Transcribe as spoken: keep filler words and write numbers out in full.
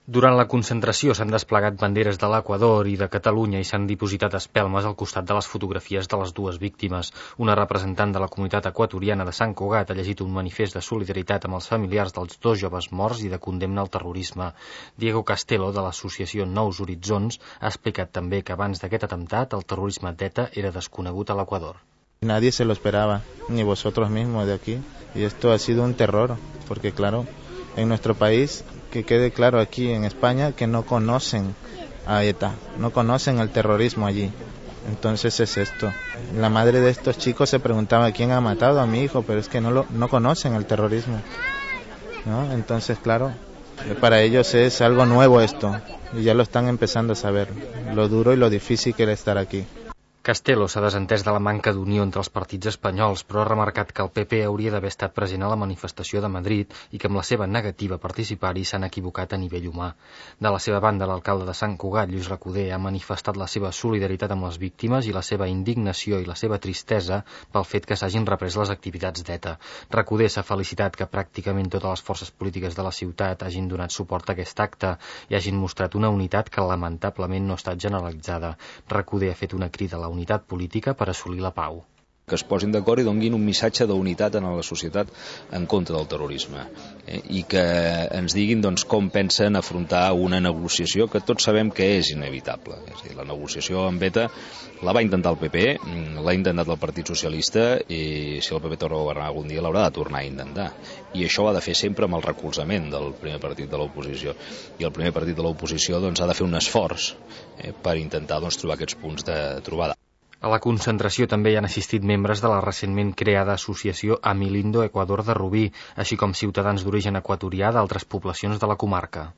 Durant la concentració s'han desplegat banderes de l'Equador i de Catalunya i s'han dipositat espelmes al costat de les fotografies de les dues víctimes. Una representant de la comunitat equatoriana de Sant Cugat ha llegit un manifest de solidaritat amb els familiars dels dos joves morts i de condemna al terrorisme. Diego Castelo, de l'associació Nous Horitzons, ha explicat també que abans d'aquest atemptat el terrorisme d'ETA era desconegut a l'Equador. Nadie se lo esperaba, ni vosotros mismos de aquí. Y esto ha sido un terror, porque claro, en nuestro país, que quede claro aquí en España, que no conocen a ETA, no conocen el terrorismo allí. Entonces es esto. La madre de estos chicos se preguntaba quién ha matado a mi hijo, pero es que no, lo, no conocen el terrorismo, ¿no? Entonces, claro, para ellos es algo nuevo esto, y ya lo están empezando a saber, lo duro y lo difícil que era estar aquí. Castelo s'ha desentès de la manca d'unió entre els partits espanyols, però ha remarcat que el P P hauria d'haver estat present a la manifestació de Madrid i que amb la seva negativa a participar-hi s'han equivocat a nivell humà. De la seva banda, l'alcalde de Sant Cugat, Lluís Recoder, ha manifestat la seva solidaritat amb les víctimes i la seva indignació i la seva tristesa pel fet que s'hagin reprès les activitats d'ETA. Recoder s'ha felicitat que pràcticament totes les forces polítiques de la ciutat hagin donat suport a aquest acte i hagin mostrat una unitat que lamentablement no ha estat generalitzada. Recoder ha fet una crida a la unitat política per assolir la pau. Que es posin d'acord i donguin un missatge d'unitat a la societat en contra del terrorisme eh? I que ens diguin doncs, com pensen afrontar una negociació que tots sabem que és inevitable. És a dir, la negociació amb ETA la va intentar el P P, l'ha intentat el Partit Socialista i si el P P torna a governar algun dia l'haurà de tornar a intentar. I això ho ha de fer sempre amb el recolzament del primer partit de l'oposició. I el primer partit de l'oposició doncs, ha de fer un esforç eh, per intentar doncs, trobar aquests punts de trobada. A la concentració també hi han assistit membres de la recentment creada associació Amilindo Equador de Rubí, així com ciutadans d'origen equatorià d'altres poblacions de la comarca.